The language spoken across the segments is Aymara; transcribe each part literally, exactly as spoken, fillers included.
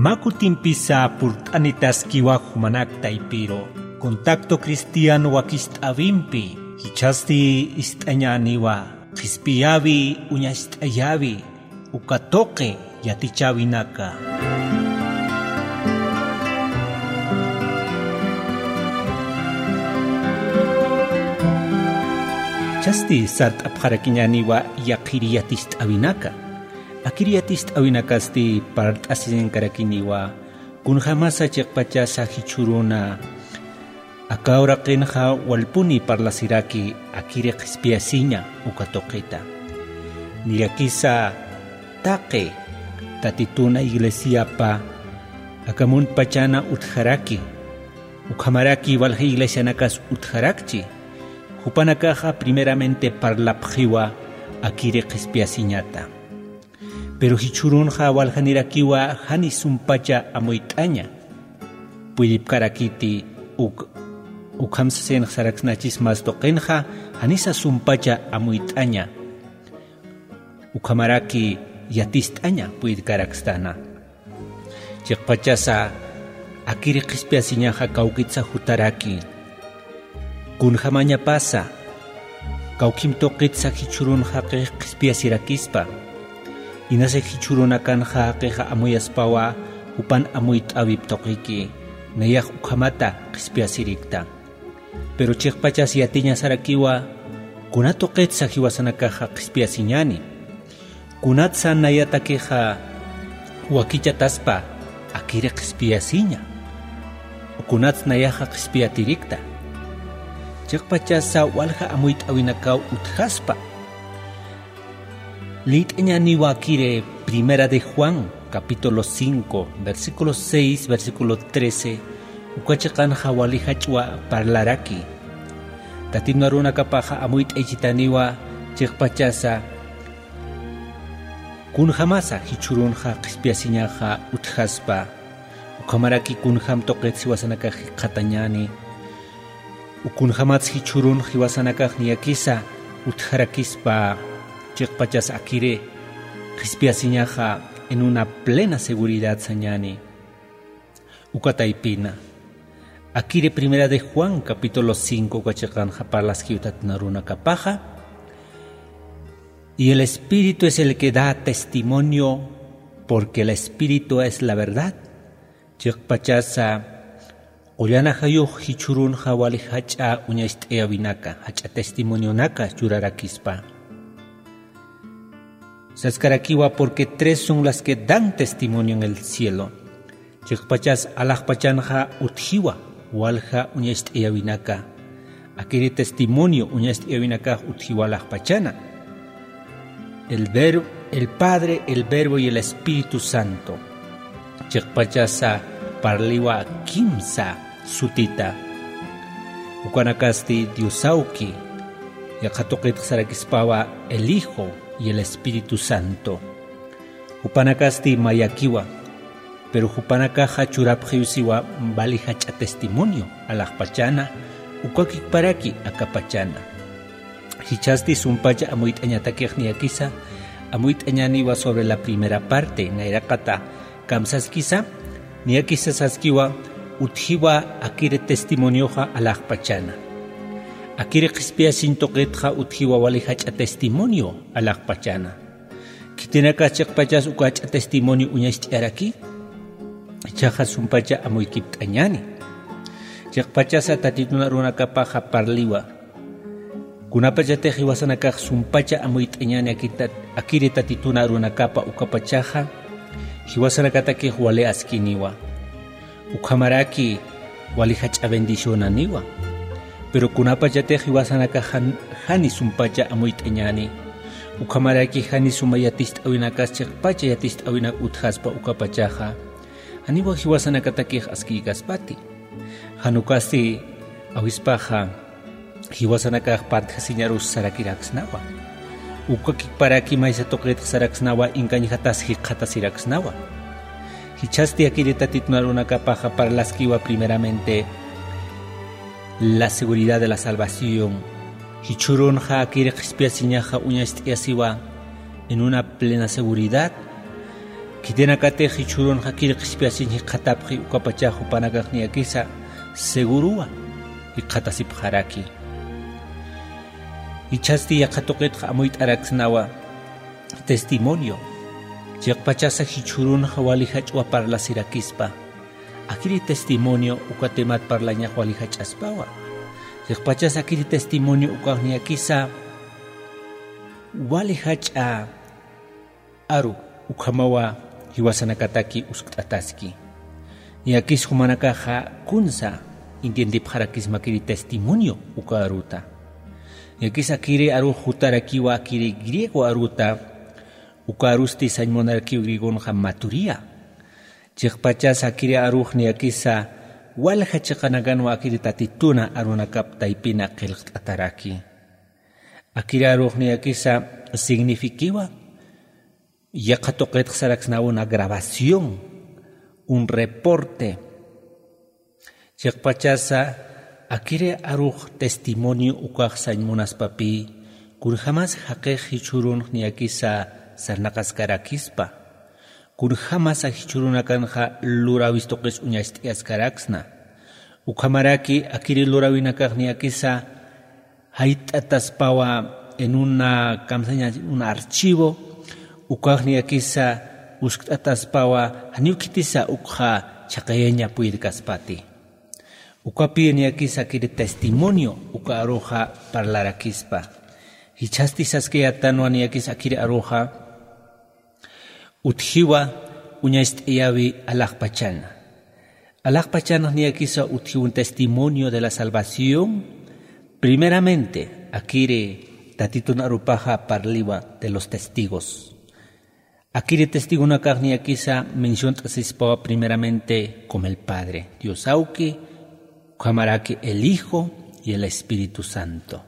Mä kutimpisa purt'anitaskiwa jumanak taypiru. Contacto Cristiano wakist'äwimpi, jichhasti ist'añäniwa, qhispiyäwi, uñacht'ayäwi, uka tuqi yatichäwinaka. Jichhasti sart'apxarakiñäniwa yaqhiri yaticht'äwinaka. Akiri yaticht'äwinakasti parlt'asiñankarakiniwa, kunjämasa chiqpachasa jichhüruna aka uraqinxa walpuni parlasiraki akiri qhispiyasiña uka tuqita. Niyakisa taqi Tatituna iglesiapa aka muntpachana utjaraki, ukhamaraki walja iglesianakas utjarakchi, jupanakaxa primeramente parlapxiwa akiri qhispiyasiñata. Pero jichhürunxa waljanirakiwa jani sumpacha amuyt'aña. Puydipkarakiti uk, ukham sasinx saraksnachis mas tuqinxa janisa sumpacha amuyt'aña. Ukhamaraki yaticht'aña puydkarakstana. Chiqpachasa akiri qhispiyasiñaxa kawkitsa jutaraki. Kunjämañapasa, kawkhim tuqitsa jichhürun jaqix qhispiyasirakispa. Inasa jichhürunakanxa jaqixa amuyaspawa, jupan amuyt'äwip tuqiki, nayax ukhamata qhispiyasirikta. Pero chiqpachas yatiñasarakiwa, kuna tuqitsa jiwasanakaxa qhispiyasiñäni. Kunatsa nayatakixa wakichataspa akiri qhispiyasiña. Kunats nayaxa qhispiyatirikta. Chiqpachasa walja amuyt'äwinakaw utjaspa. Liyt'añäniwa akiri Primera de Juan, capítulo cinco, versículo seis, versículo trece, uka chiqanxa wali jach'wa parlaraki. Tatitun arunakapaxa amuyt'ayichitaniwa chiqpachasa, kunjämasa jichhürunxa qhispiyasiñaxa utjaspa, ukhamaraki kunjäm tuqit jiwasanakax jikxatañäni, kunjämats jichhürun jiwasanakax niyakisa utjarakispa, chiqpachas akiri qhispiyasiñaxa en una plena seguridad sañäni. Uka taypina. Akiri Primera de Juan, capítulo cinco, uka chiqanxa parlaskiw Tatitun arunakapaxa. Y el Espíritu es el que da testimonio, porque el Espíritu es la verdad. Chiqpachasa, qullan ajayux jichhürunxa wali jach'a uñacht'ayäwinaka, jach'a testimonionaka churarakispa. Saskarakiwa, porque tres son las que dan testimonio en el cielo. Chiqpachas alaxpachanxa utjiwa walja uñacht'ayäwinaka. Akiri testimonio uñacht'ayäwinakax utjiwa alaxpachana. El Ver-, el Padre, el Verbo y el Espíritu Santo. Chiqpachasa parliwa kimsa sutita. Ukanakasti Diosawki, yaqha tuqitxa sarakispawa el Hijo y el Espíritu Santo. Jupanakasti mayakiwa, pero jupanakaxa churapxiw siwa wali jach'a testimonio, alaxpachana, ukakikparaki akapachana. Jichhasti sumpacha amuyt'añatakix niyakisa, amuyt'añäniwa sobre la primera parte, nayraqata kamsaskisa, niyakisa saskiwa, utjiwa akiri testimonioxa alaxpachana. Akiri qhispiyasiñ tuqitxa utjiwa wali jach'a testimonio alaxpachana. Khitinakas chiqpachas uka jach'a testimonio uñacht'ayaraki, jichhaxa sumpacha amuykipt'añäni. Chiqpachasa Tatitun arunakapaxa parliwa. Kunapachatix jiwasanakax sumpacha amuyt'añäni akiri tat-, akiri Tatitun arunakapa ukapachaxa, jiwasanakatakix wali askiniwa. Ukhamaraki wali jach'a bendicionaniwa. Pero kunapachatix jiwasanakax jan-, jani sumpacha amuyt'añäni. Ukhamaraki jani suma yaticht'äwinakas chiqpacha yaticht'äwinak utjaspa ukapachaxa, janiwa jiwasanakatakix askiykaspati. Jan ukasti awispaxa jiwasanakax partjasiñarus sarakiraksnawa. Ukakikparaki maysa tuqitx saraksnawa, inkañjatas jikxatasiraksnawa. Jichhasti akiri Tatitun arunakapaxa parlaskiwa primeramente la seguridad de la salvación. Jichhürunxa akiri qhispiyasiñaxa uñacht'ayasiwa en una plena seguridad. Khitinakatix jichhürunxa kiri qhispiyasiñ jikxatapxi ukapachax jupanakax niyakisa seguruwa jikxatasipxaraki. Jichhasti yaqha tuqitxa amuyt'araksnawa testimonio. Chiqpachasa jichhürunxa wali jach'wa parlasirakispa. Akiri testimonio uka temat parlañax wali jach'aspawa. Chiqpachasa akiri testimonio ukax niyakisa wali jach'a aru ukhamawa jiwasanakataki uskt'ataski. Niyakis jumanakaxa kunsa entiendipxarakisma akiri testimonio uka aruta. Niyakis akiri arux jutarakiwa akiri griego aruta, uka arusti sañ munarakiw griegonxa maturia. Chiqpachas akiri arux niyakisa walja chiqanakanwa akiri tatituna arunakap taypina qillqt'ataraki. Akiri arux niyakisa signifikiwa yaqha tuqitx saraksnaw una grabación, un reporte. Chiqpachasa akiri arux testimonio ukax sañ munaspapï, kunjämas jaqix jichhürunx niyakisa sarnaqaskarakispa, kunjämasa jichhürunakanxa luräwis tuqis uñacht'ayaskaraksna. Ukhamaraki akiri luräwinakax niyakisa jayt'ataspawa en una kamsaña, un archivo, ukax niyakisa uskt'ataspawa janiw khitisa ukxa chhaqayaña puyirkaspati. Ukapï niyakisa akiri testimonio uka aruxa parlarakispa. Jichhasti saskayätanwa niyakisa akiri aruxa utjiwa uñacht'ayäwi alaxpachana. Alaxpachanax niyakisa utjiw un testimonio de la salvación. Primeramente akiri tatitun arupaxa parliwa de los testigos. Akiri testigonakax niyakisa menciont'asispawa primeramente como el Padre, Dios Awki, ukhamaraki el Hijo y el Espíritu Santo.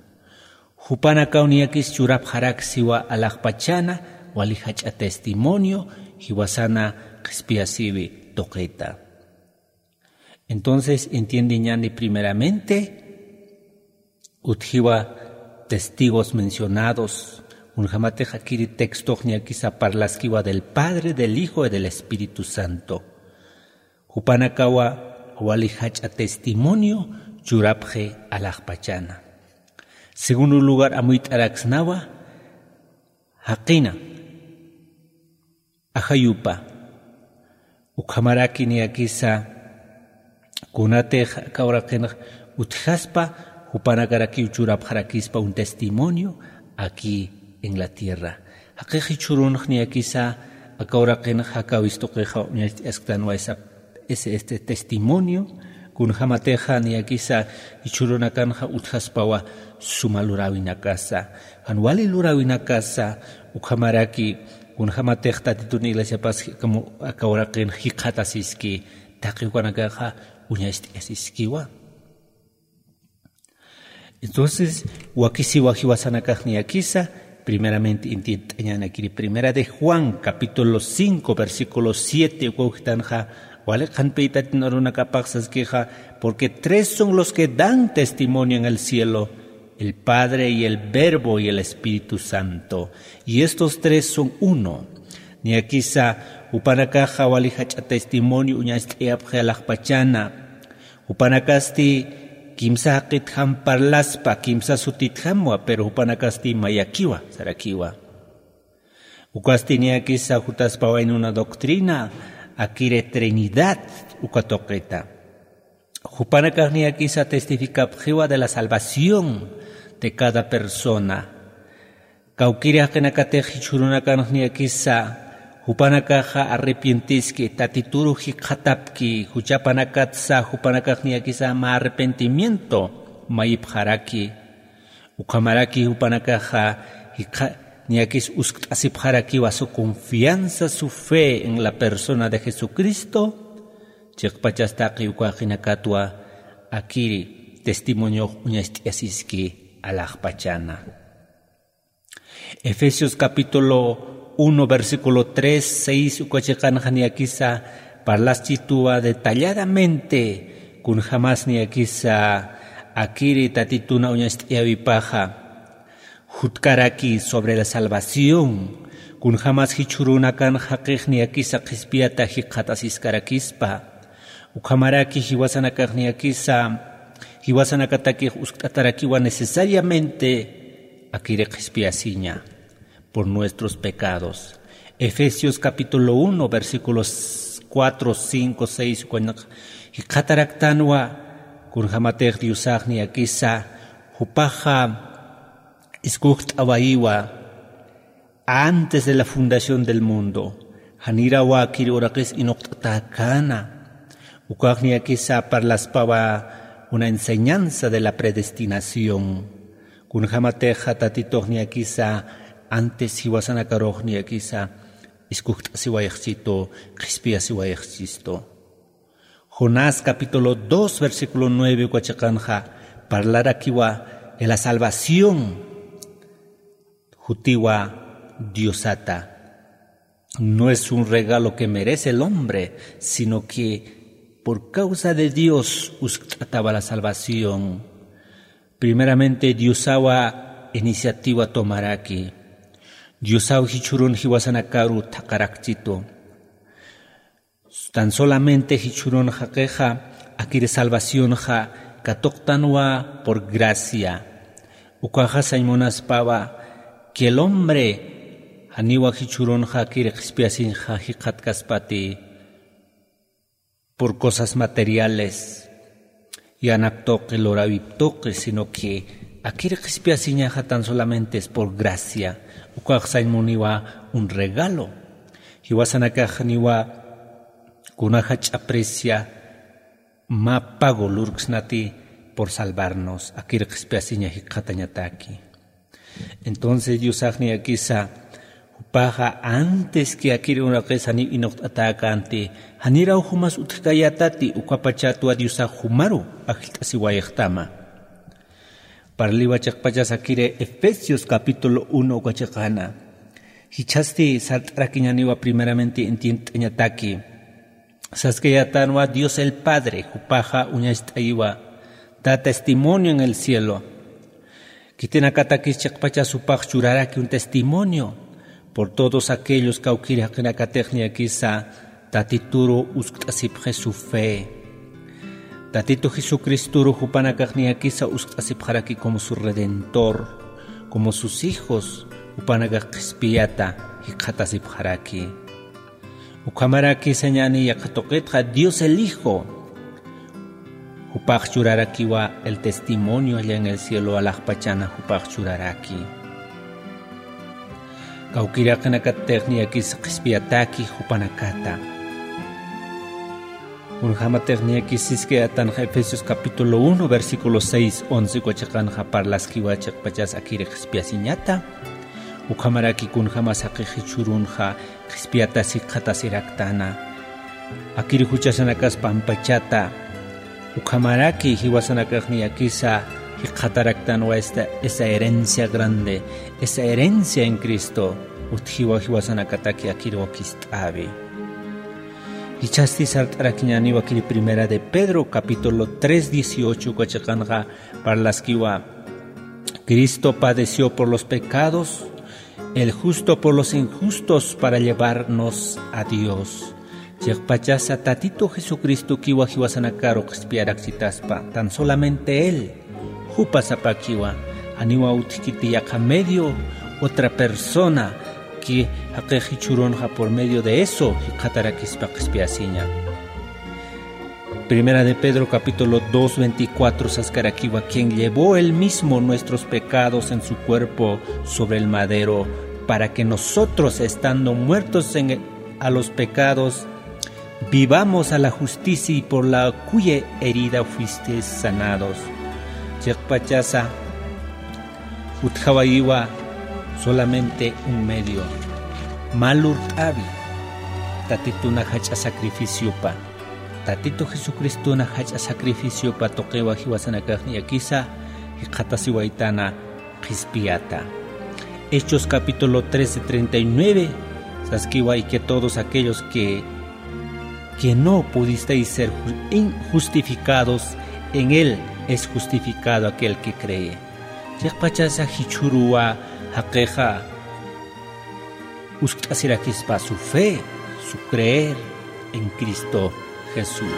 Jupanakaw niyakis churapxaraksiwa alaxpachana wali jach'a testimonio jiwasana qhispiyasïwi tuqita. Entonces entiendeñäni primeramente utjiwa testigos mencionados, kunjämatix akiri textox niyakisa parlaskiwa del Padre, del Hijo y del Espíritu Santo. Jupanakawa wali jach'a testimonio churapxi alaxpachana. Segundo lugar, amuyt'araksnawa jaqina ajayupa. Ukhamaraki niyakisa kunatix aka uraqinx utjaspa, jupanakarakiw churapxarakispa un testimonio aquí en la tierra. Jaqix jichhürunx niyakisa aka uraqinx jakäwis tuqixa uñacht'ayasktanwa esa, ese, este testimonio, kunjämatixa niyakisa jichhürunakanxa utjaspawa suma luräwinakasa, jan wali luräwinakasa, ukhamaraki kunjämatix tatitun iglesiapas aka uraqinx jikxatasiski, taqi ukanakaxa uñacht'ayasiskiwa. Entonces wakisiwa jiwasanakax niyakisa primeramente entiendt'añanakiri. Primera de Juan capítulo cinco versículo siete uka ukhtanxa wali qhanpï tatitun arunakapax saskixa: porque tres son los que dan testimonio en el cielo, el Padre y el Verbo y el Espíritu Santo, y estos tres son uno. Niyakisa jupanakaxa wali jach'a testimonio uñacht'ayapxi alaxpachana. Jupanakasti kimsa jaqitjam parlaspa, kimsa sutitjamwa, pero jupanakasti mayakiwa sarakiwa. Ukasti niyakisa jutaspawa en una doctrina akiri Trinidad uka tuqita. Jupanakax niyakisa testificapxiwa de la salvación de cada persona. Kawkiri jaqinakatix jichhürunakanx niyakisa jupanakaxa arrepientiski, tatituru jikxatapki, juchapanakatsa jupanakax niyakisa mä arrepentimiento mayipxaraki. Ukhamaraki jupanakaxa jikxa-, niyakis uskt'asipxarakiwa su confianza, su fe en la persona de Jesucristo. Chiqpachas taqi uka jaqinakatwa akiri testimoniox uñacht'ayasiski alaxpachana. Efesios capítulo uno, versículo tres, seis uka chiqanxa niyakisa parlaschituwa detalladamente kunjämas niyakisa akiri tatituna uñacht'ayäwipaxa. Jutkaraki sobre la salvación, Kunjämas jichhürunakan jaqix niyakisa qhispiyata jikxatasiskarakispa. Ukhamaraki jiwasanakax niyakisa, jiwasanakatakix uskt'atarakiwa necesariamente akiri qhispiyasiña por nuestros pecados. Efesios capítulo uno, versículos cuatro, cinco, seis, ukañaq jikxataraktanwa, kunjämatix Diosax niyakisa, jupaxa iskujt'awayiwa, antes de la fundación del mundo, janirawa akiri uraqis inuqt'atäkäna. Ukax niyakisa parlaspawa una enseñanza de la predestinación. Kunjämatixa Tatitux niyakisa antes jiwasanakarux niyakisa iskujt'asiwayxchistu, qhispiyasiwayxchistu. Jonás capítulo dos, versículo nueve uka chiqanxa parlarakiwa de la salvación. Jutiwa Diosata. No es un regalo que merece el hombre, sino que por causa de Dios uskt'atawa la salvación. Primeramente Diosawa iniciativa tomaraki. Diosaw jichhürun jiwasanakaru thaqharakchitu. Tan solamente jichhürun jaqixa akiri salvacionxa katuqtanwa por gracia. Ukaxa sañ munaspawa que el hombre janiwa jichhürunxa akiri qhispiyasiñxa jikxatkaspati por cosas materiales, yanap tuqi, luräwip tuqi, sino que akiri qhispiyasiñaxa tan solamente es por gracia. Ukax sañ muniwa un regalo. Jiwasanakax niwa kuna jach'a precia mä pago lurksnati por salvarnos, akiri qhispiyasiña jikxatañataki. Entonces Diosax niyakisa jupaxa antes que akiri uraqis janiw inuqt'atäkänti, janiraw jumas utjkayätati, ukapachatwa Diosax jumaru ajllt'asiwayxtama. Parliwa chiqpachas akiri Efesios capítulo uno uka chiqana. Jichhasti sart'arakiñäniwa primeramente entiendt'añataki. Saskayätanwa Dios el Padre, jupaxa uñacht'ayiwa, da testimonio en el cielo. Khitinakatakis chiqpachas jupax churaraki un testimonio por todos aquellos kawkïr jaqinakatix niyakisa Tatituru uskt'asipxi su fe. Tatitu Jesucristoru jupanakax niyakisa uskt'asipxaraki como su Redentor, como sus hijos, jupanakax qhispiyata jikxatasipxaraki. Ukhamaraki sañäni yaqha tuqitxa Dios el Hijo. Jupax churarakiwa el testimonio allá en el cielo, alaxpachana jupax churaraki. Kawkïr jaqinakatix niyakis qhispiyataki jupanakata. Kunjämatix niyakis siskayätanxa Efesios capítulo uno, versículo seis, once uka chiqanxa parlaskiwa chiqpachas akiri qhispiyasiñata. Ukhamaraki kunjämas jaqix jichhürunxa qhispiyatasi jikxatasiraktana. Akiri juchasanakas pampachata. Ukhamaraki jiwasanakax niyakisa jikxataraktanwa esta, esa herencia grande, esa herencia en Cristo. Utjiwa jiwasanakataki akiri wakist'äwi. Jichhasti sart'arakiñäniwa akiri Primera de Pedro, capítulo tres, dieciocho uka chiqanxa parlaskiwa, Cristo padeció por los pecados, el justo por los injustos, para llevarnos a Dios. Chiqpachasa Tatitu Jesucristokiwa jiwasanakaru qhispiyarakchitaspa, tan solamente Él, jupa sapakiwa, janiwa utjkiti yaqha medio, otra persona que jaqix jichhürunxa por medio de eso jikxatarakispa qhispiyasiña. Primera de Pedro capítulo dos, veinticuatro saskarakiwa, quien llevó él mismo nuestros pecados en su cuerpo sobre el madero, para que nosotros, estando muertos en el, a los pecados, vivamos a la justicia y por la cuya herida fuisteis sanados. Chiqpachasa utjawayiwa solamente un medio. Mä lurt'äwi, Tatituna jach'a sacrificiopa. Tatitu Jesucristuna jach'a sacrificiopa tuqiwa jiwasanakax niyakisa jikxatasiwaytana qhispiyata. Hechos capítulo trece, treinta y nueve, saskiwa, y que todos aquellos que, que no pudisteis ser ju-, in-, justificados, en él es justificado aquel que cree. Chiqpachasa jichhüruwa jaqixa Uskt'asirakispa su fe, su creer en Cristo Jesús.